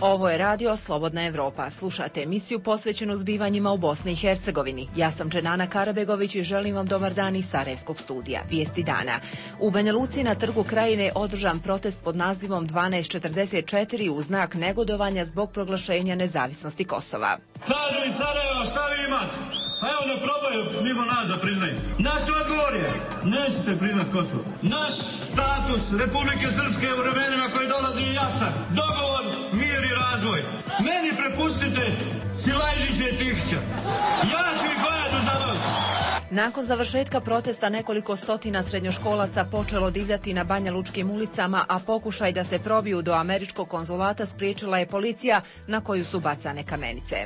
Ovo je radio Slobodna Evropa. Slušate emisiju posvećenu zbivanjima u Bosni i Hercegovini. Ja sam Dženana Karabegović i želim vam dobar dan iz Sarajevskog studija. Vijesti dana. U Banja Luci na Trgu Krajine održan protest pod nazivom 1244 u znak negodovanja zbog proglašenja nezavisnosti Kosova. Kažu iz Sarajeva, šta vi imate? Pa evo da probaju mimo nas da priznaju. Naš odgovor je, nećete priznat Kosovo. Naš status Republike Srpske u vremenima koji dolazi je jasan. Dogovor, mir i razvoj. Meni prepustite Silajžića i Tihića. Ja ću ih gledati za vas. Nakon završetka protesta nekoliko stotina srednjoškolaca počelo divljati na banjalučkim ulicama, a pokušaj da se probiju do američkog konzulata spriječila je policija na koju su bacane kamenice.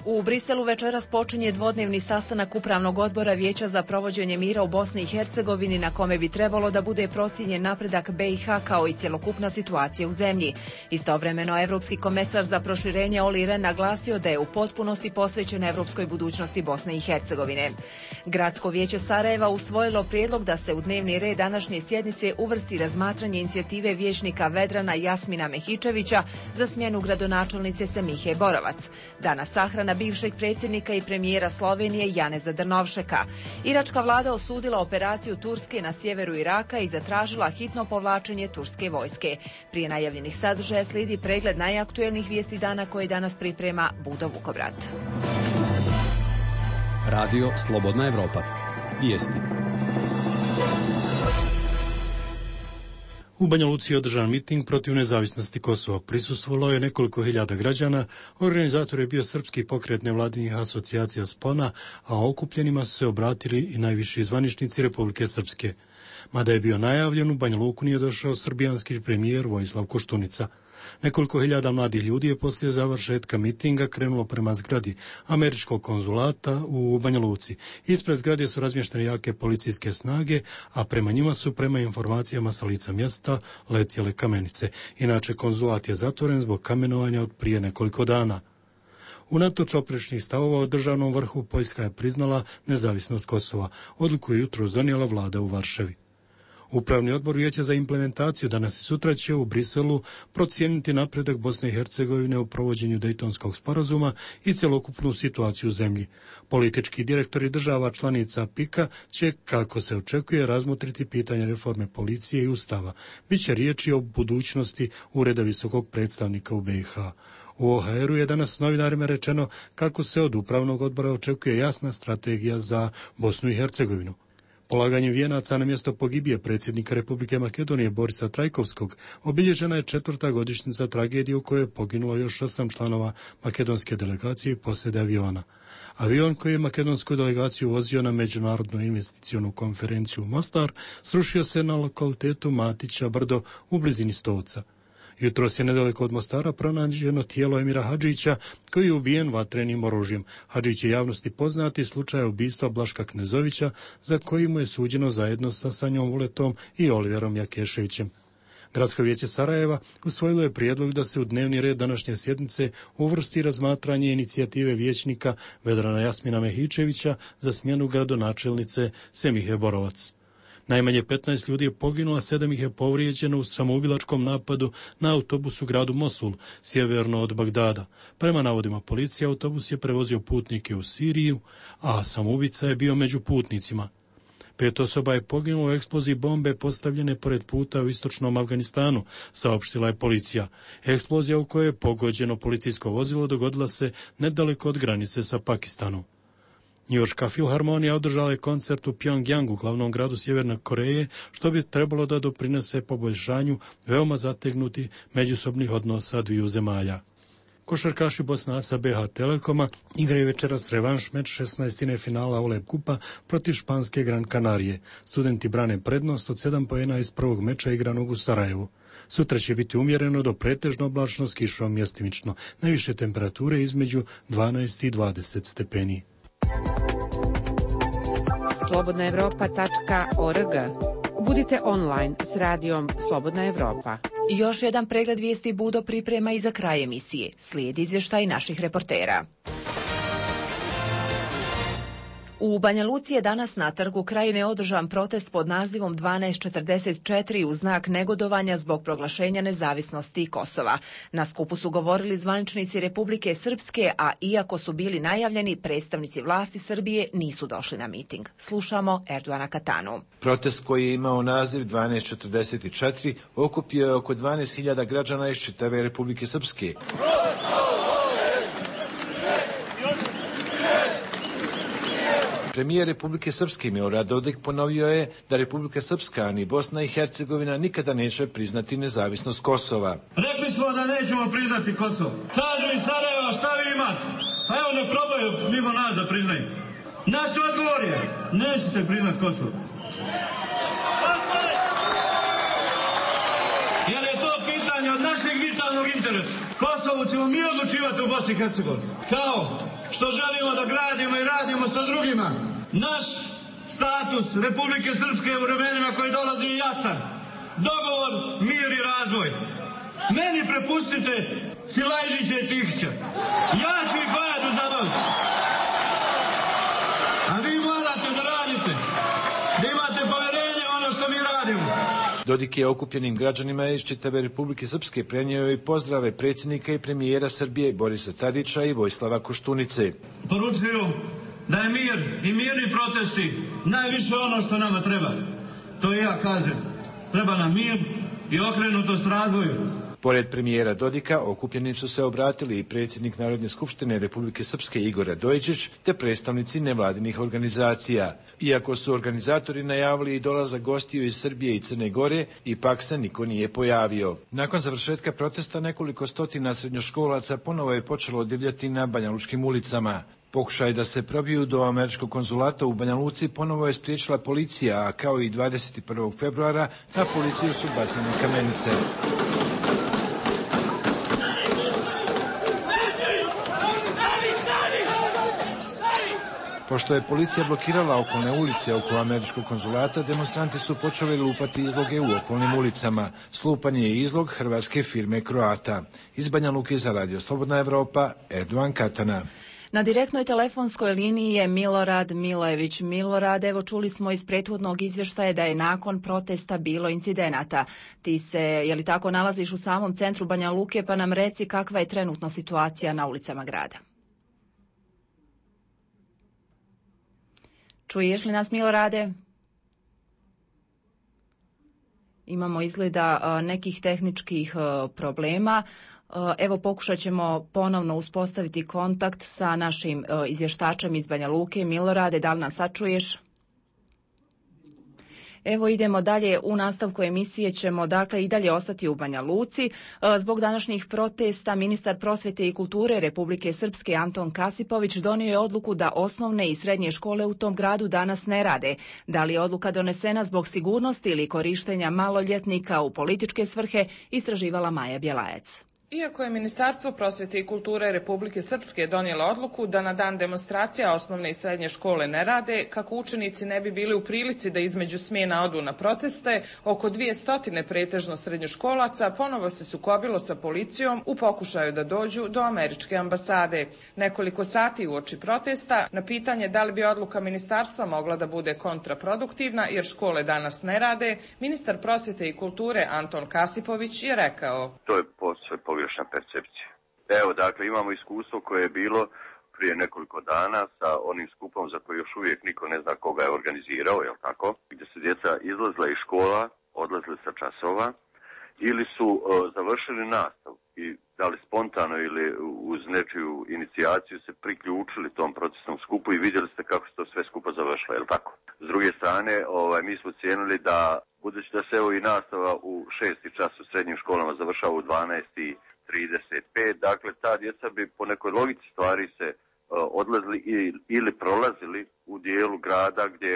U Briselu večeras počinje dvodnevni sastanak Upravnog odbora Vijeća za provođenje mira u Bosni i Hercegovini, na kome bi trebalo da bude procijenjen napredak BiH kao i cjelokupna situacija u zemlji. Istovremeno, Evropski komesar za proširenje Olli Rehn naglasio da je u potpunosti posvećen evropskoj budućnosti Bosne i Hercegovine. Gradsko vijeće Sarajeva usvojilo prijedlog da se u dnevni red današnje sjednice uvrsti razmatranje inicijative vijećnika Vedrana Jasmina Mehičevića za smjenu gradonačelnice Semihe Borovac. Danas sahrana bivšeg predsjednika i premijera Slovenije Janeza Drnovšeka. Iračka vlada osudila operaciju Turske na sjeveru Iraka i zatražila hitno povlačenje turske vojske. Prije najavljenih sadržaja slijedi pregled najaktuelnijih vijesti dana koje danas priprema Budo Vukobrat. Radio Slobodna Evropa. Vijesti. U Banja Luci je održan miting protiv nezavisnosti Kosova. Prisustvovalo je nekoliko hiljada građana. Organizator je bio srpski pokret nevladinih asocijacija Spona, a okupljenima su se obratili i najviši zvaničnici Republike Srpske. Mada je bio najavljen, u Banja Luku nije došao srbijanski premijer Vojislav Koštunica. Nekoliko hiljada mladih ljudi je poslije završetka mitinga krenulo prema zgradi američkog konzulata u Banja Luci. Ispred zgrade su razmještene jake policijske snage, a prema njima su, prema informacijama sa lica mjesta, letjele kamenice. Inače, konzulat je zatvoren zbog kamenovanja od prije nekoliko dana. Unatoč oprečnih stavova o državnom vrhu, Poljska je priznala nezavisnost Kosova. Odluku je jutros donijela vlada u Varšavi. Upravni odbor Vijeća za implementaciju danas i sutra će u Briselu procijeniti napredak Bosne i Hercegovine u provođenju Dejtonskog sporazuma i cjelokupnu situaciju u zemlji. Politički direktori država članica PIK-a će, kako se očekuje, razmotriti pitanje reforme policije i ustava. Biće riječi o budućnosti Ureda visokog predstavnika u BiH. U OHR-u je danas novinarima rečeno kako se od upravnog odbora očekuje jasna strategija za Bosnu i Hercegovinu. Polaganjem vijenaca na mjesto pogibije predsjednika Republike Makedonije Borisa Trajkovskog obilježena je 4. godišnjica tragedije u kojoj je poginulo još 8 članova makedonske delegacije i posjede aviona. Avion koji je makedonsku delegaciju vozio na međunarodnu investicionu konferenciju u Mostar srušio se na lokalitetu Matića Brdo u blizini Stovca. Jutros je nedaleko od Mostara pronađeno tijelo Emira Hadžića koji je ubijen vatrenim oružjem. Hadžić je javnosti poznati slučaj ubistva Blaška Knezovića za koji mu je suđeno zajedno sa Sanjom Vuletom i Oliverom Jakeševićem. Gradsko vijeće Sarajeva usvojilo je prijedlog da se u dnevni red današnje sjednice uvrsti razmatranje inicijative vijećnika Vedrana Jasmina Mehičevića za smjenu gradonačelnice Semihe Borovac. Najmanje 15 ljudi je poginulo, a 7 ih je povrijeđeno u samoubilačkom napadu na autobus u gradu Mosul, sjeverno od Bagdada. Prema navodima policije, autobus je prevozio putnike u Siriju, a samoubica je bio među putnicima. 5 osoba je poginulo u eksploziji bombe postavljene pored puta u istočnom Afganistanu, saopštila je policija. Eksplozija u kojoj je pogođeno policijsko vozilo dogodila se nedaleko od granice sa Pakistanom. Njujorška filharmonija održala je koncert u Pjongjangu, glavnom gradu Sjeverne Koreje, što bi trebalo da doprinese poboljšanju veoma zategnuti međusobnih odnosa dviju zemalja. Košarkaši Bosnaca BH Telekoma igraju večeras revanš meč 16. finala OLEP kupa protiv španske Gran Kanarije. Studenti brane prednost od 7 poena iz prvog meča igranog u Sarajevu. Sutra će biti umjereno do pretežno oblačno s kišom mjestimično. Najviše temperature između 12 i 20 stepeni. slobodnaevropa.org. Budite online s radijom Slobodna Evropa. Još jedan pregled vijesti Budo priprema i za kraj emisije. Slijedi izvještaj naših reportera. U Banja Luci je danas na Trgu Krajine održan protest pod nazivom 1244 u znak negodovanja zbog proglašenja nezavisnosti Kosova. Na skupu su govorili zvaničnici Republike Srpske, a iako su bili najavljeni, predstavnici vlasti Srbije nisu došli na miting. Slušamo Erdoana Katanu. Protest koji je imao naziv 1244 okupio je oko 12.000 građana iz čitave Republike Srpske. Premijer Republike Srpske Milorad Dodik ponovio je da Republika Srpska ni Bosna i Hercegovina nikada neće priznati nezavisnost Kosova. Rekli smo da nećemo priznati Kosovo. Kažu iz Sarajeva, šta vi imate? Pa evo ne probaju mimo nas da priznaju. Naš odgovor je, nećete priznati Kosovo. Jer je to pitanje od našeg vitalnog interesa. Kosovo ćemo mi odlučivati u Bosni i Hercegovini. Kao što želimo da gradimo i radimo sa drugima. Naš status Republike Srpske u vremenima koji dolazi je jasan. Dogovor, mir i razvoj. Meni prepustite Silajđića i Tihića. Ja ću ih vajati u zabavu. A vi morate da radite. Da imate poverenje u ono što mi radimo. Dodik je okupljenim građanima iz čitave Republike Srpske prenio i pozdrave predsjednika i premijera Srbije Borisa Tadića i Vojislava Koštunice. Poručuju da je mir i mirni protesti najviše ono što nama treba. To i ja kažem. Treba nam mir i okrenutost razvoju. Pored premijera Dodika, okupljenim su se obratili i predsjednik Narodne skupštine Republike Srpske Igor Radojičić te predstavnici nevladinih organizacija. Iako su organizatori najavili i dolazak gostiju iz Srbije i Crne Gore, ipak se niko nije pojavio. Nakon završetka protesta nekoliko stotina srednjoškolaca ponovo je počelo divljati na banjalučkim ulicama. Pokušaj da se probiju do američkog konzulata u Banja Luci ponovo je spriječila policija, a kao i 21. februara na policiju su bacane kamenice. Pošto je policija blokirala okolne ulice oko američkog konzulata, demonstranti su počeli lupati izloge u okolnim ulicama. Slupan je izlog hrvatske firme Croata. Iz Banja Luke za Radio Slobodna Evropa, Erdoan Katana. Na direktnoj telefonskoj liniji je Milorad Milojević. Milorad, evo čuli smo iz prethodnog izvještaja da je nakon protesta bilo incidenata. Ti se, je li tako, nalaziš u samom centru Banja Luke, pa nam reci kakva je trenutno situacija na ulicama grada. Čuješ li nas, Milorade? Imamo izgleda nekih tehničkih problema. Evo pokušat ćemo ponovno uspostaviti kontakt sa našim izvještačem iz Banja Luke. Milorade, da li nas sad čuješ? Evo idemo dalje, u nastavku emisije ćemo dakle i dalje ostati u Banja Luci. Zbog današnjih protesta ministar prosvjete i kulture Republike Srpske Anton Kasipović donio je odluku da osnovne i srednje škole u tom gradu danas ne rade. Da li je odluka donesena zbog sigurnosti ili korištenja maloljetnika u političke svrhe, istraživala Maja Bjelajac. Iako je Ministarstvo prosvjete i kulture Republike Srpske donijelo odluku da na dan demonstracija osnovne i srednje škole ne rade, kako učenici ne bi bili u prilici da između smjena odu na proteste, oko 200 pretežno srednjoškolaca ponovo se sukobilo sa policijom u pokušaju da dođu do američke ambasade. Nekoliko sati uoči protesta, na pitanje da li bi odluka ministarstva mogla da bude kontraproduktivna jer škole danas ne rade, ministar prosvjete i kulture Anton Kasipović je rekao: To je posve pogrešna percepcija. Evo, dakle, imamo iskustvo koje je bilo prije nekoliko dana sa onim skupom za koji još uvijek niko ne zna koga je organizirao, jel tako? Gdje su djeca izlazila iz škola, odlazili sa časova ili su završili nastavu i da li spontano ili uz nečiju inicijaciju se priključili tom procesnom skupu i vidjeli ste kako se to sve skupo završilo, jel tako? S druge strane, mi smo cijenili da, budući da se evo i nastava u 6. čas u srednjim školama završava u 12:35, dakle ta djeca bi po nekoj logici stvari se odlazili ili prolazili u dijelu grada gdje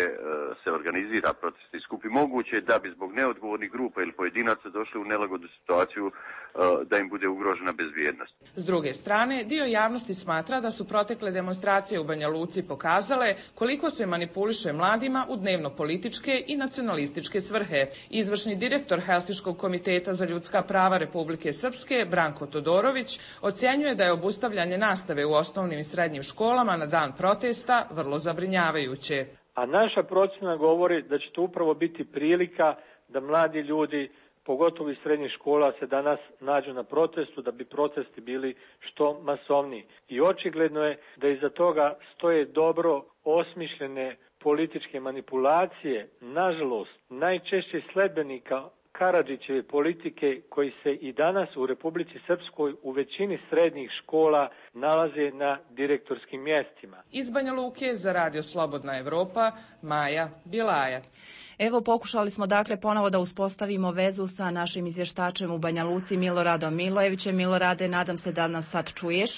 se organizira protestni skup i moguće da bi zbog neodgovornih grupa ili pojedinaca došli u nelagodnu situaciju da im bude ugrožena bezbjednost. S druge strane, dio javnosti smatra da su protekle demonstracije u Banja Luci pokazale koliko se manipuliše mladima u dnevno-političke i nacionalističke svrhe. Izvršni direktor Helsinškog komiteta za ljudska prava Republike Srpske, Branko Todorović, ocjenjuje da je obustavljanje nastave u osnovnim i srednjim školama na dan protesta vrlo zabrinjavajuće. zabrinjavajuće. A naša procjena govori da će to upravo biti prilika da mladi ljudi, pogotovo iz srednjih škola, se danas nađu na protestu, da bi protesti bili što masovniji. I očigledno je da iza toga stoje dobro osmišljene političke manipulacije, nažalost, najčešće sledbenika Karadžićeve politike koji se i danas u Republici Srpskoj u većini srednjih škola nalaze na direktorskim mjestima. Iz Banja Luke za Radio Slobodna Evropa, Maja Bjelajac. Evo, pokušali smo dakle ponovo da uspostavimo vezu sa našim izvještačem u Banja Luci, Miloradom Milojevićem. Milorade, nadam se da nas sad čuješ.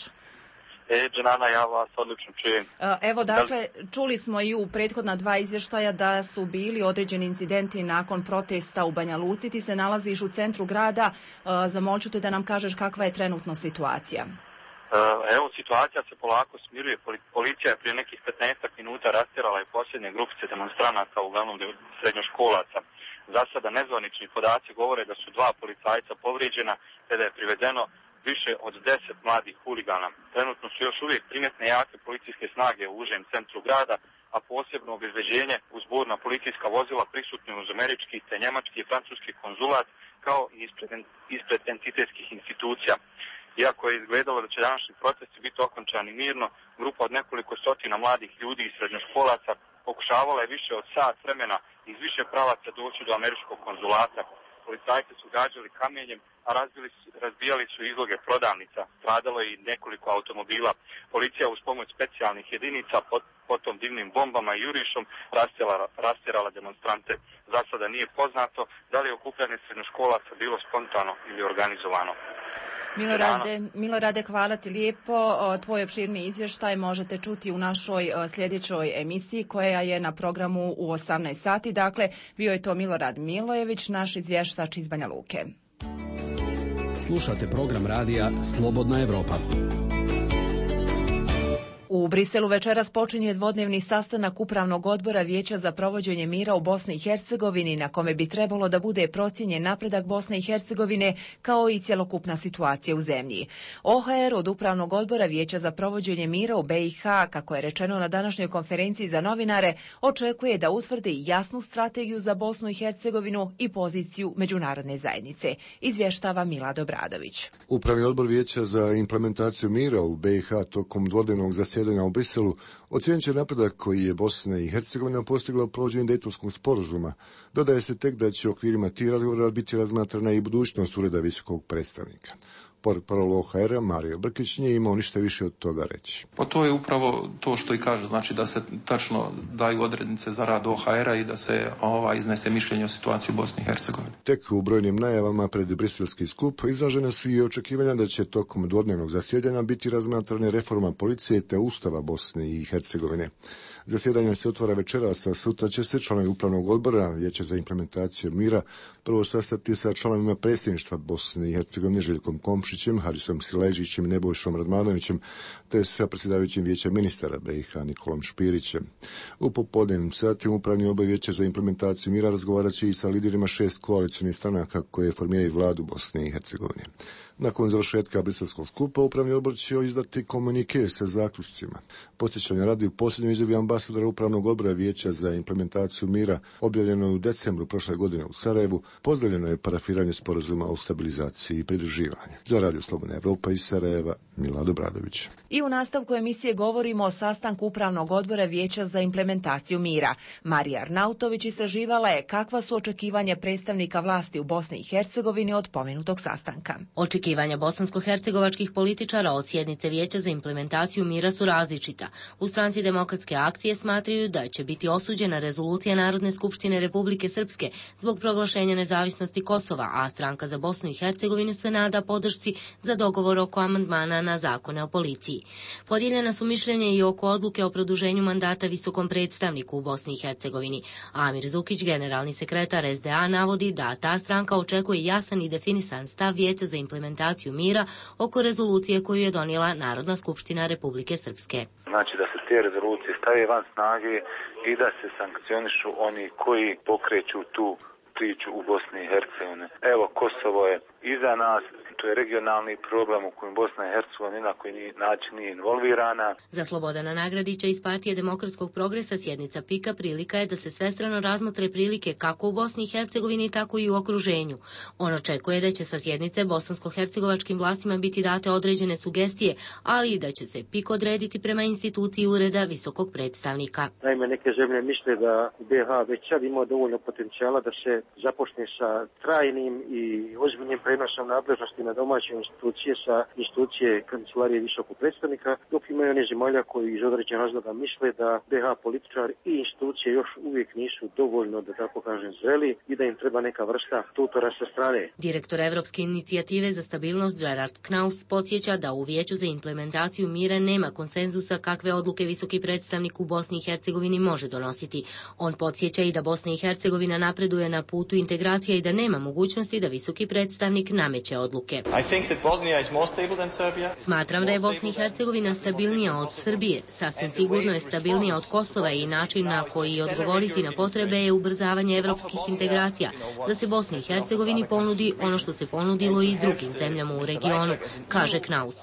Dženana, ja vas odlično čujem. Evo, dakle, čuli smo i u prethodna dva izvještaja da su bili određeni incidenti nakon protesta u Banja Luci. Ti se nalaziš u centru grada. Zamolću te da nam kažeš kakva je trenutno situacija. Evo, situacija se polako smiruje. Policija je prije nekih 15 minuta rastjerala i posljednje grupice demonstranata, uglavnom srednjoškolaca. Za sada nezvanični podaci govore da su 2 policajca povrijeđena, te da je privedeno više od 10 mladih huligana. Trenutno su još uvijek primjetne jake policijske snage u užem centru grada, a posebno obezbeđenje uz burna policijska vozila prisutni uz američki te njemački i francuski konzulat, kao i ispred entitetskih institucija. Iako je izgledalo da će današnji protesti biti okončani mirno, grupa od nekoliko stotina mladih ljudi i srednjoškolaca pokušavala je više od sat vremena iz više pravaca doći do američkog konzulata. Policajci su gađali kamenjem, a razbijali su izloge prodavnica. Stradalo je i nekoliko automobila. Policija uz pomoć specijalnih jedinica, potom dimnim bombama i jurišom rastjerala demonstrante. Za sada nije poznato da li je okupljanje srednjoškolaca bilo spontano ili organizovano. Milorade, hvala ti lijepo. Tvoj opširni izvještaj možete čuti u našoj sljedećoj emisiji koja je na programu u 18 sati. Dakle, bio je to Milorad Milojević, naš izvještač iz Banja Luke. Slušate program radija Slobodna Evropa. U Briselu večeras počinje dvodnevni sastanak Upravnog odbora Vijeća za provođenje mira u Bosni i Hercegovini, na kome bi trebalo da bude procijenjen napredak Bosne i Hercegovine kao i cjelokupna situacija u zemlji. OHR od Upravnog odbora Vijeća za provođenje mira u BiH, kako je rečeno na današnjoj konferenciji za novinare, očekuje da utvrdi jasnu strategiju za Bosnu i Hercegovinu i poziciju međunarodne zajednice, izvještava Milad Obradović. Upravni odbor Vijeća za implementaciju mira u BiH tokom dvodnevnog zasjedanja u Briselu ocijenit će napredak koji je Bosna i Hercegovina postigla u provođenju Dejtonskog sporazuma. Dodaje se tek da će u okvirima tih razgovora biti razmatrana i budućnost ureda visokog predstavnika. Portparol OHR-a Mario Brkić nije imao ništa više od toga reći. Pa to je upravo to što i kaže, znači da se tačno daju odrednice za rad OHR-a i da se iznese mišljenje o situaciji u Bosni i Hercegovini. Tek u brojnim najavama pred briselski skup izražene su i očekivanja da će tokom dvodnevnog zasjedanja biti razmatrane reforma policije te Ustava Bosne i Hercegovine. Zasjedanje se otvara večeras, a sutra će se članovi Upravnog odbora Vijeća za implementaciju mira prvo sastati sa članovima predsjedništva Bosne i Hercegovine Željkom Komšićem, Harisom Siležićem i Nebojšom Radmanovićem, te sa predsjedavajućim Vijeća ministara BiH Nikolom Špirićem. U popodnevnim satima Upravni odbor Vijeća za implementaciju mira razgovarat će i sa liderima 6 koalicionih stranaka koje formiraju vladu Bosne i Hercegovine. Nakon završetka briselskog skupa, Upravni odbor će izdati komunike sa zaključcima. Podsjećanja radi u posljednjoj izjavi ambasadora Upravnog odbora Vijeća za implementaciju mira, objavljeno u decembru prošle godine u Sarajevu, pozdravljeno je parafiranje sporazuma o stabilizaciji i pridruživanju. Za Radio Slobodna Evropa iz Sarajeva, Milad Obradović. I u nastavku emisije govorimo o sastanku Upravnog odbora Vijeća za implementaciju mira. Marija Arnautović istraživala je kakva su očekivanja predstavnika vlasti u Bosni i Hercegovini od pomenutog sastanka. Očekivanja bosansko-hercegovačkih političara od sjednice Vijeća za implementaciju mira su različita. U stranci Demokratske akcije smatraju da će biti osuđena rezolucija Narodne skupštine Republike Srpske zbog proglašenja nezavisnosti Kosova, a stranka za Bosnu i Hercegovinu se nada podršci za dogovor oko amandmana na zakone o policiji. Podijeljena su mišljenja i oko odluke o produženju mandata visokom predstavniku u Bosni i Hercegovini. Amir Zukić, generalni sekretar SDA, navodi da ta stranka očekuje jasan i definisan stav Vijeća za implementaciju mira oko rezolucije koju je donijela Narodna skupština Republike Srpske. Znači da se te rezolucije stave van snage i da se sankcionišu oni koji pokreću tu priču u Bosni i Hercegovini. Evo, Kosovo je iza nas, to je regionalni problem u kojem Bosna i Hercegovina na koji način nije involvirana. Za Slobodana Nagradića iz Partije demokratskog progresa sjednica PIK-a prilika je da se svestrano razmotre prilike kako u Bosni i Hercegovini, tako i u okruženju. On očekuje da će sa sjednice bosansko-hercegovačkim vlastima biti date određene sugestije, ali i da će se PIK odrediti prema instituciji Ureda visokog predstavnika. Naime, neke zemlje misle da BiH već sad ima dovoljno potencijala da se započne sa trajnim i ozbiljnim prenosom nadležnosti na domaće institucije sa institucije Kancelarije visokog predstavnika, dok imaju one zemalja koji iz određenog razloga misle da BiH političar i institucije još uvijek nisu dovoljno, da tako kažem, zreli i da im treba neka vrsta tutora sa strane. Direktor Evropske inicijative za stabilnost Gerard Knaus podsjeća da u Vijeću za implementaciju mira nema konsenzusa kakve odluke visoki predstavnik u Bosni i Hercegovini može donositi. On podsjeća i da Bosna i Hercegovina napreduje na putu integracija i da nema mogućnosti da visoki predstavnik nameće odluke. Smatram da je Bosna i Hercegovina stabilnija od Srbije. Sasvim sigurno je stabilnija od Kosova i način na koji odgovoriti na potrebe je ubrzavanje evropskih integracija, da se Bosni i Hercegovini ponudi ono što se ponudilo i drugim zemljama u regionu, kaže Knaus.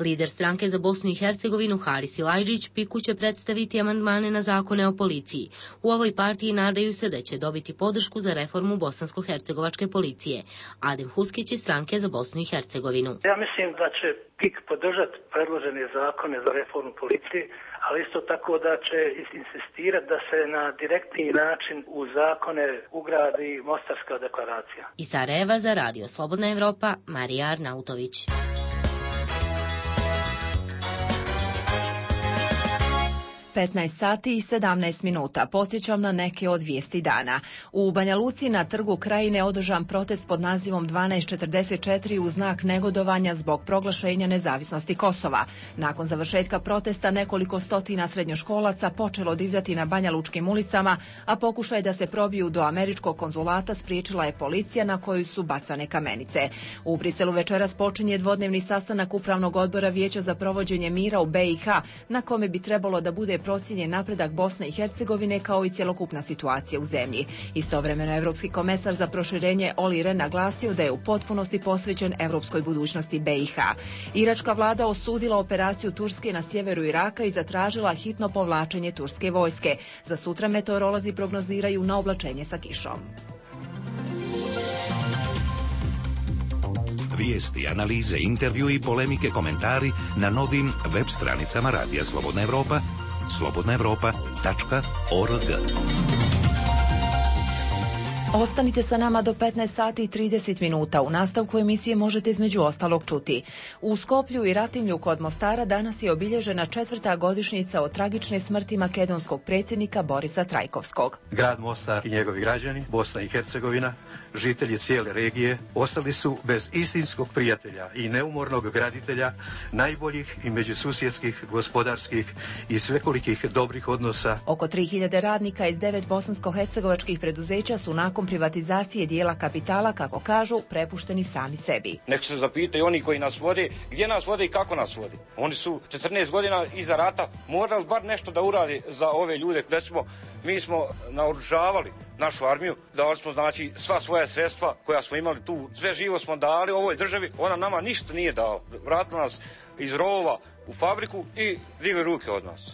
Lider stranke za Bosnu i Hercegovinu Haris Ilajđić PIK-u će predstaviti amandmane na zakone o policiji. U ovoj partiji nadaju se da će dobiti podršku za reformu bosansko-hercegovačke policije. Adem Huskić iz stranke za Bosnu i Hercegovinu. Ja mislim da će PIK podržati predložene zakone za reformu policije, ali isto tako da će insistirati da se na direktni način u zakone ugradi Mostarska deklaracija. Iz Sarajeva za Radio Slobodna Evropa, Marija Arnautović. 15 sati i 17 minuta. Podsjećam na neke od vijesti dana. U Banja Luci na Trgu Krajine održan protest pod nazivom 1244 u znak negodovanja zbog proglašenja nezavisnosti Kosova. Nakon završetka protesta nekoliko stotina srednjoškolaca počelo divljati na banjalučkim ulicama, a pokušaj da se probiju do američkog konzulata spriječila je policija na koju su bacane kamenice. U Briselu večeras počinje dvodnevni sastanak Upravnog odbora Vijeća za provođenje mira u BiH, na kome bi trebalo da bude procijenjen napredak Bosne i Hercegovine kao i cjelokupna situacija u zemlji. Istovremeno Evropski komesar za proširenje Olli Rehn naglasio da je u potpunosti posvećen europskoj budućnosti BiH. Iračka vlada osudila operaciju Turske na sjeveru Iraka i zatražila hitno povlačenje turske vojske. Za sutra meteorolozi prognoziraju na oblačenje sa kišom. Vijesti, analize, intervju i polemike, komentari na novim web stranicama Radija Slobodna Evropa, slobodnaevropa.org. Ostanite sa nama do 15 sati i 30 minuta. U nastavku emisije možete između ostalog čuti. U Skoplju i Ratimlju kod Mostara danas je obilježena 4. godišnjica od tragične smrti makedonskog predsjednika Borisa Trajkovskog. Grad Mostar i njegovi građani, Bosna i Hercegovina, žitelji cijele regije, ostali su bez istinskog prijatelja i neumornog graditelja najboljih i međususjedskih, gospodarskih i svekolikih dobrih odnosa. Oko 3000 radnika iz 9 bosansko-hercegovačkih preduzeća su nakon privatizacije dijela kapitala, kako kažu, prepušteni sami sebi. Nek se zapitaju oni koji nas vode, gdje nas vode i kako nas vode. Oni su 14 godina iza rata morali bar nešto da uradi za ove ljude. Recimo, mi smo naoružavali našu armiju, dali smo znači sva svoja sredstva koja smo imali tu, sve živo smo dali ovoj državi, ona nama ništa nije dala. Vratila nas iz rovova u fabriku i digli ruke od nas.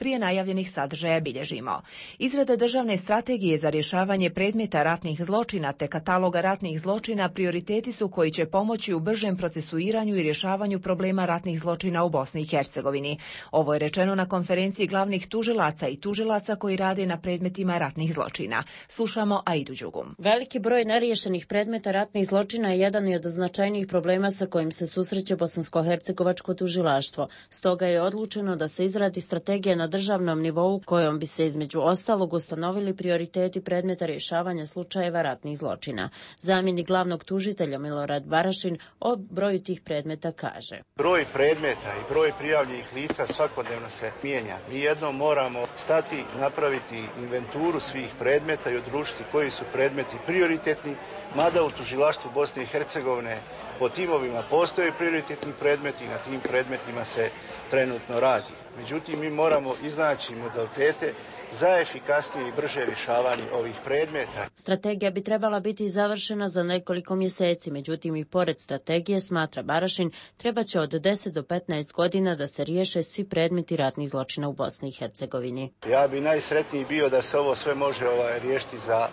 Prije najavljenih sadržaja bilježimo. Izrada državne strategije za rješavanje predmeta ratnih zločina te kataloga ratnih zločina prioriteti su koji će pomoći u bržem procesuiranju i rješavanju problema ratnih zločina u Bosni i Hercegovini. Ovo je rečeno na konferenciji glavnih tužilaca i tužilaca koji rade na predmetima ratnih zločina. Slušamo Aidu Đugum. Veliki broj neriješenih predmeta ratnih zločina je jedan od značajnijih problema sa kojim se susreće bosansko-hercegovačko tužilaštvo. Stoga je odlučeno da se izradi strategija na državnom nivou kojom bi se između ostalog ustanovili prioriteti predmeta rješavanja slučajeva ratnih zločina. Zamjenik glavnog tužitelja Milorad Barašin o broju tih predmeta kaže: Broj predmeta i broj prijavljenih lica svakodnevno se mijenja. Mi jednom moramo stati, napraviti inventuru svih predmeta i odlučiti koji su predmeti prioritetni, mada u tužilaštvu Bosne i Hercegovine po timovima postoje prioritetni predmeti i na tim predmetima se trenutno radi. Međutim, mi moramo iznaći modalitete za efikasnije i brže rješavanje ovih predmeta. Strategija bi trebala biti završena za nekoliko mjeseci, međutim i pored strategije, smatra Barašin, treba će od 10 do 15 godina da se riješe svi predmeti ratnih zločina u Bosni i Hercegovini. Ja bi najsretniji bio da se ovo sve može riješiti za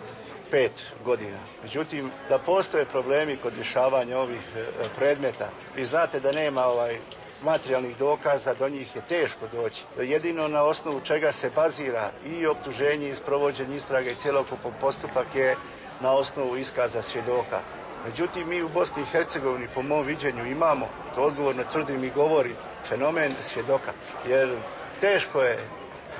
5 godina. Međutim, da postoje problemi kod rješavanja ovih predmeta. Vi znate da nema materijalnih dokaza, do njih je teško doći. Jedino na osnovu čega se bazira i optuženje i sprovođenje istrage i cjelokupan postupak je na osnovu iskaza svjedoka. Međutim, mi u Bosni i Hercegovini po mom viđenju imamo, to odgovorno tvrdim i govorim, fenomen svjedoka. Jer teško je,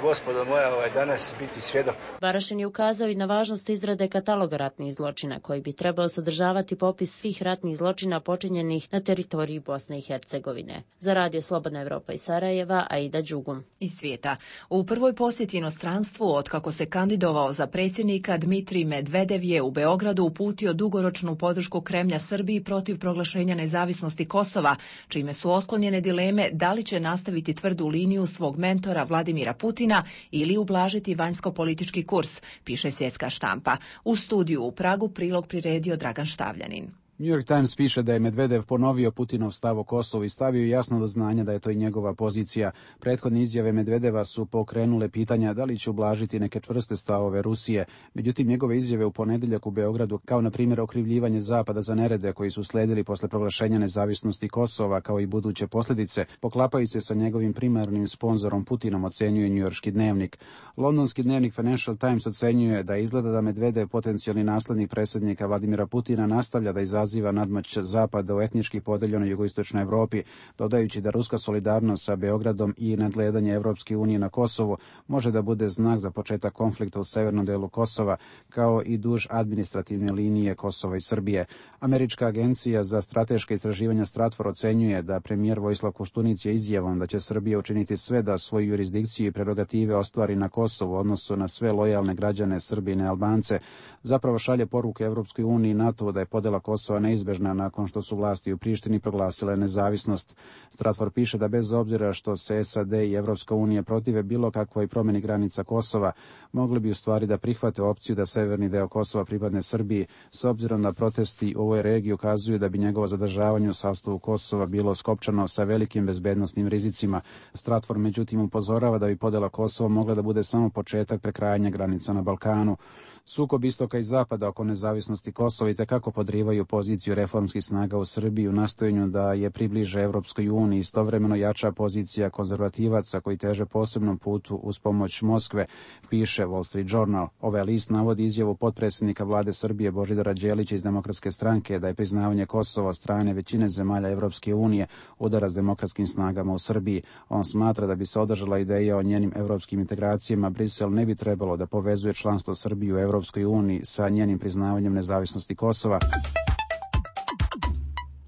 gospodo moja, danas biti svjedok. Barašin je ukazao i na važnost izrade kataloga ratnih zločina, koji bi trebao sadržavati popis svih ratnih zločina počinjenih na teritoriji Bosne i Hercegovine. Za Radio Slobodna Evropa iz Sarajeva, Aida Đugum. Iz svijeta. U prvoj posjeti inostranstvu, otkako se kandidovao za predsjednika, Dmitrij Medvedev je u Beogradu uputio dugoročnu podršku Kremlja Srbiji protiv proglašenja nezavisnosti Kosova, čime su otklonjene dileme da li će nastaviti tvrdu liniju svog mentora Vladimira Putina ili ublažiti vanjsko-politički kurs, piše Svjetska štampa. U studiju u Pragu prilog priredio Dragan Štavljanin. New York Times piše da je Medvedev ponovio Putinov stav o Kosovu i stavio jasno do znanja da je to i njegova pozicija. Prethodne izjave Medvedeva su pokrenule pitanja da li će ublažiti neke čvrste stavove Rusije. Međutim, njegove izjave u ponedjeljak u Beogradu, kao na primjer okrivljivanje Zapada za nerede koji su sledili posle proglašenja nezavisnosti Kosova, kao i buduće posljedice, poklapaju se sa njegovim primarnim sponzorom Putinom, ocenjuje njujorški dnevnik. Londonski dnevnik Financial Times ocenjuje da izgleda da Medvedev, potencijalni naslednik predsjednika Vladimira Putina, nastavlja da izaziva nadmoć Zapada u etnički podeljenoj jugoistočnoj Evropi, dodajući da ruska solidarnost sa Beogradom i nadgledanje Evropske unije na Kosovu može da bude znak za početak konflikta u severnom delu Kosova, kao i duž administrativne linije Kosova i Srbije. Američka agencija za strateška istraživanja Stratfor ocenjuje da premijer Vojislav Koštunica je izjavom da će Srbija učiniti sve da svoju jurisdikciju i prerogative ostvari na Kosovu u odnosu na sve lojalne građane Srbije i Albance, zapravo šalje poruku Evropskoj uniji i NATO da je podela Kosova neizbežna nakon što su vlasti u Prištini proglasile nezavisnost. Stratfor piše da bez obzira što se SAD i Evropska unija protive bilo kakvoj promjeni granica Kosova, mogli bi u stvari da prihvate opciju da severni deo Kosova pripadne Srbiji, s obzirom da protesti u ovoj regiji ukazuju da bi njegovo zadržavanje u sastavu Kosova bilo skopčano sa velikim bezbednosnim rizicima. Stratfor međutim upozorava da bi podela Kosova mogla da bude samo početak prekrajanja granica na Balkanu. Sukob istoka i zapada oko nezavisnosti Kosova itekako podrivaju poziciju reformskih snaga u Srbiji u nastojanju da je približe Evropskoj uniji. Istovremeno jača pozicija konzervativaca koji teže posebnom putu uz pomoć Moskve, piše Wall Street Journal. Ovaj list navodi izjavu potpredsjednika vlade Srbije Božidara Đelića iz Demokratske stranke da je priznavanje Kosova od strane većine zemalja Evropske unije udara s demokratskim snagama u Srbiji. On smatra da bi se održala ideja o njenim evropskim integracijama, Brisel ne bi trebalo da povezuje članstvo Srbije u Evropskoj uniji sa njenim priznavanjem nezavisnosti Kosova.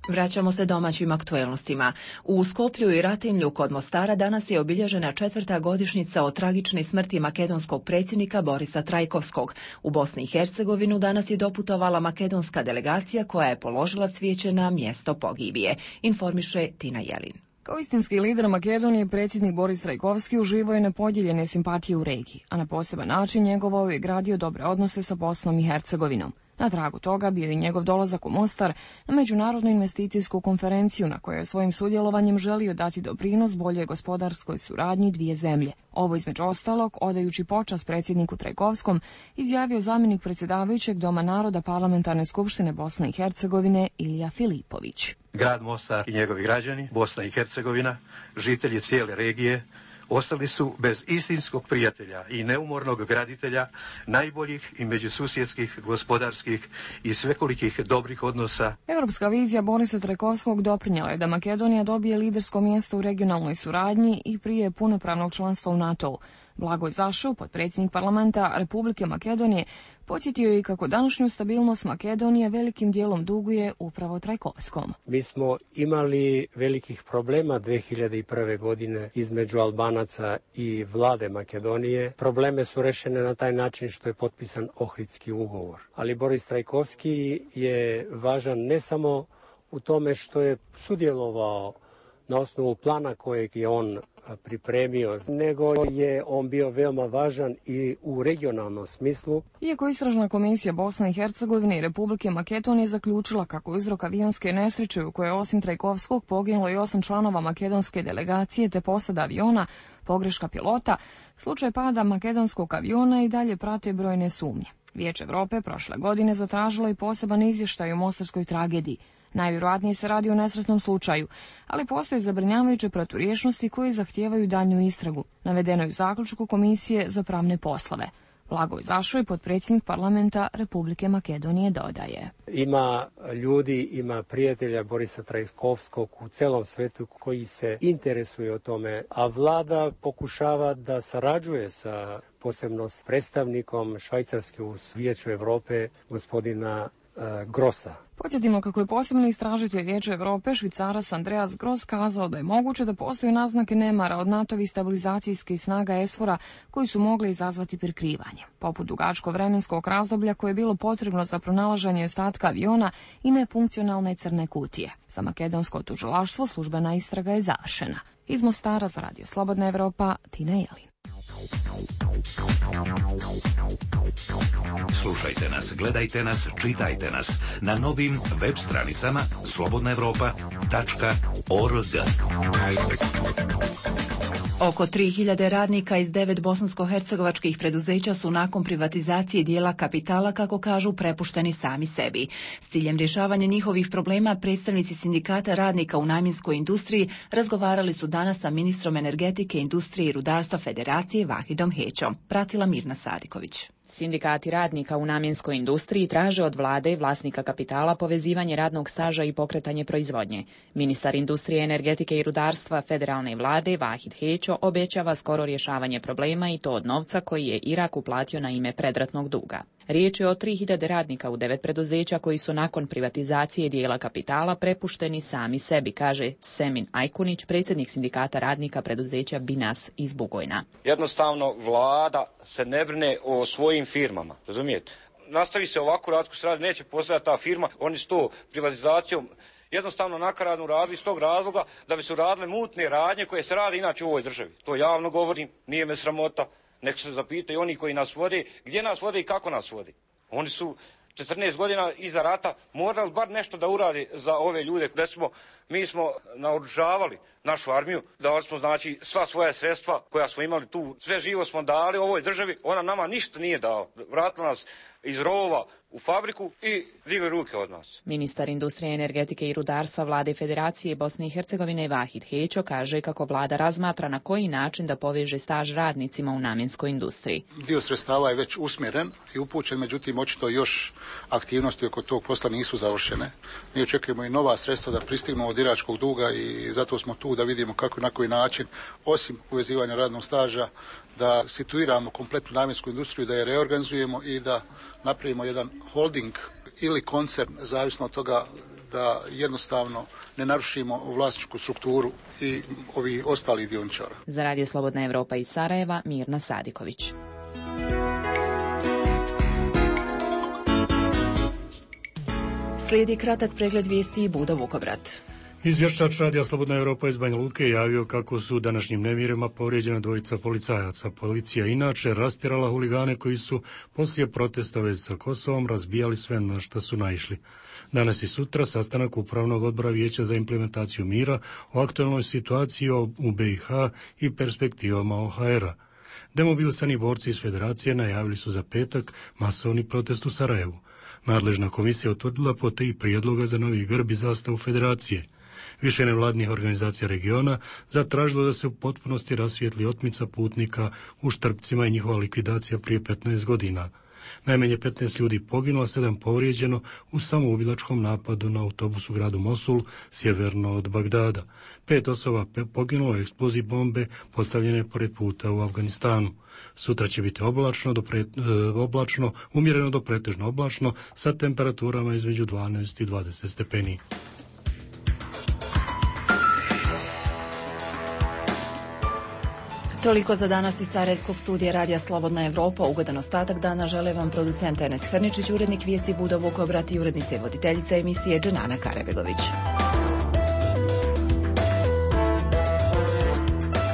Vraćamo se domaćim aktuelnostima. U Skoplju i Ratimlju kod Mostara danas je obilježena 4. godišnjica od tragične smrti makedonskog predsjednika Borisa Trajkovskog. U Bosni i Hercegovinu danas je doputovala makedonska delegacija koja je položila cvijeće na mjesto pogibije, informiše Tina Jelin. Kao istinski lider Makedonije, predsjednik Boris Trajkovski uživao je nepodijeljene simpatije u regiji, a na poseban način njegovao je gradio dobre odnose sa Bosnom i Hercegovinom. Na tragu toga bio i njegov dolazak u Mostar na međunarodnu investicijsku konferenciju na kojoj je svojim sudjelovanjem želio dati doprinos boljoj gospodarskoj suradnji dvije zemlje. Ovo između ostalog, odajući počast predsjedniku Trajkovskom, izjavio zamjenik predsjedavajućeg Doma naroda Parlamentarne skupštine Bosne i Hercegovine Ilija Filipović. Grad Mostar i njegovi građani, Bosna i Hercegovina, žitelji cijele regije, ostali su bez istinskog prijatelja i neumornog graditelja najboljih i međususjedskih, gospodarskih i svekolikih dobrih odnosa. Europska vizija Borisa Trajkovskog doprinjela je da Makedonija dobije lidersko mjesto u regionalnoj suradnji i prije punopravnog članstva u NATO-u. Blagoj Zašov, potpredsjednik parlamenta Republike Makedonije, podsjetio je kako današnju stabilnost Makedonije velikim dijelom duguje upravo Trajkovskom. Mi smo imali velikih problema 2001. godine između Albanaca i vlade Makedonije. Probleme su rešene na taj način što je potpisan Ohridski ugovor. Ali Boris Trajkovski je važan ne samo u tome što je sudjelovao na osnovu plana kojeg je on pripremio, nego je on bio veoma važan i u regionalnom smislu. Iako Istražna komisija Bosne i Hercegovine i Republike Makedonije zaključila kako je uzrok avionske nesreće u kojoj je osim Trajkovskog poginulo i 8 članova makedonske delegacije te posada aviona, pogreška pilota, slučaj pada makedonskog aviona i dalje prate brojne sumnje. Vijeće Evrope prošle godine zatražilo i poseban izvještaj o mostarskoj tragediji. Najvjerojatnije se radi o nesretnom slučaju, ali postoje zabrinjavajuće proturječnosti koje zahtijevaju daljnju istragu, navedeno je u zaključku Komisije za pravne poslove. Blagoj Zašoj, potpredsjednik parlamenta Republike Makedonije, dodaje. Ima ljudi, ima prijatelja Borisa Trajkovskog u celom svetu koji se interesuju o tome, a vlada pokušava da sarađuje sa posebno s predstavnikom Švajcarske u Vijeću Evrope, gospodina Grossa. Podsjetimo kako je posebni istražitelj Vijeća Evrope, Švicarac Andreas Gross, kazao da je moguće da postoje naznake nemara od NATO-vih stabilizacijskih snaga ESFOR-a koji su mogli izazvati prikrivanje, poput dugačkog vremenskog razdoblja koje je bilo potrebno za pronalaženje ostatka aviona i nefunkcionalne crne kutije. Za makedonsko tužilaštvo službena istraga je završena. Iz Mostara za Radio Slobodna Evropa, Tina Jelin. Slušajte nas, gledajte nas, čitajte nas na novim web stranicama slobodnaevropa.org. Oko 3000 radnika iz 9 bosansko-hercegovačkih preduzeća su nakon privatizacije dijela kapitala, kako kažu, prepušteni sami sebi. S ciljem rješavanja njihovih problema, predstavnici sindikata radnika u namjenskoj industriji razgovarali su danas sa ministrom energetike, industrije i rudarstva Federacije Vahidom Hećom. Pratila Mirna Sadiković. Sindikati radnika u namjenskoj industriji traže od vlade i vlasnika kapitala povezivanje radnog staža i pokretanje proizvodnje. Ministar industrije, energetike i rudarstva federalne vlade Vahid Hećo obećava skoro rješavanje problema i to od novca koji je Irak uplatio na ime predratnog duga. Riječ je o 3000 radnika u 9 preduzeća koji su nakon privatizacije dijela kapitala prepušteni sami sebi, kaže Semin Ajkunić, predsjednik sindikata radnika preduzeća Binas iz Bugojna. Jednostavno vlada se ne brine o svojim firmama, razumijete? Nastavi se ovako rad, se radi, neće postojati ta firma, oni s to privatizacijom jednostavno nakaradno radili iz tog razloga da bi se uradile mutne radnje koje se rade inače u ovoj državi. To javno govorim, nije me sramota. Nek se zapitaju oni koji nas vode, gdje nas vode i kako nas vode. Oni su 14 godina iza rata morali bar nešto da uradi za ove ljude. Recimo, mi smo naoružavali našu armiju, dali smo znači sva svoja sredstva koja smo imali tu, sve živo smo dali ovoj državi, ona nama ništa nije dala. Vratila nas iz rovova u fabriku i digli ruke od nas. Ministar industrije, energetike i rudarstva vlade Federacije Bosne i Hercegovine Vahid Hećo kaže kako vlada razmatra na koji način da poveže staž radnicima u namjenskoj industriji. Dio sredstava je već usmjeren i upućen, međutim očito još aktivnosti oko tog posla nisu završene. Mi očekujemo i nova sredstva da pristignu od iračkog duga i zato smo tu da vidimo kako i na koji način, osim povezivanja radnog staža, da situiramo kompletnu namjensku industriju, da je reorganizujemo i da napravimo jedan holding ili koncern, zavisno od toga da jednostavno ne narušimo vlasničku strukturu i ovi ostali dioničara. Za Radio Slobodna Evropa iz Sarajeva, Mirna Sadiković. Slijedi kratak pregled vijesti i Budo Vukobrad. Izvještač Radija Slobodna Evropa iz Banja Luke javio kako su današnjim nemirima povrijeđena dvojica policajaca. Policija inače rastjerala huligane koji su poslije protesta u vezi sa Kosovom razbijali sve na što su naišli. Danas i sutra sastanak Upravnog odbora Vijeća za implementaciju mira o aktualnoj situaciji u BiH i perspektivama OHR-a. Demobilisani borci iz Federacije najavili su za petak masovni protest u Sarajevu. Nadležna komisija utvrdila po 3 prijedloga za novi grb i zastavu Federacije. Više nevladnih organizacija regiona zatražilo da se u potpunosti rasvijetli otmica putnika u Štrpcima i njihova likvidacija prije 15 godina. Najmanje 15 ljudi poginulo, 7 povrijeđeno u samoubilačkom napadu na autobus u gradu Mosul, sjeverno od Bagdada. 5 osoba poginulo u eksploziji bombe postavljene pored puta u Afganistanu. Sutra će biti oblačno, umjereno do pretežno oblačno, sa temperaturama između 12 i 20 stepeni. Toliko za danas iz Sarajevskog studija Radija Slobodna Evropa. Ugodan ostatak dana žele vam producent Enes Hrničić, urednik vijesti Budo Vukobrat i urednica i voditeljica emisije Dženana Karebegović.